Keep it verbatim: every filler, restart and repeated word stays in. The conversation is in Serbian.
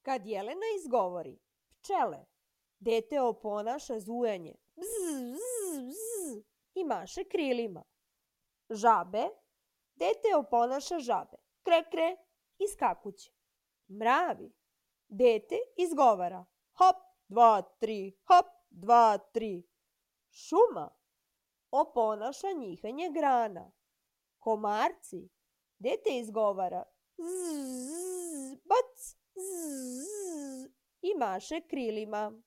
Kad Jelena izgovori pčele, dete oponaša zujanje bzz, bzz, bzz i maše krilima. Žabe, dete oponaša žabe kre, kre i skakuće. Mravi, dete izgovara hop, dva, tri, hop, dva, tri. Šuma oponaša njihanje grana. Komarci, dete izgovara zzz, bac, zzz i maše krilima.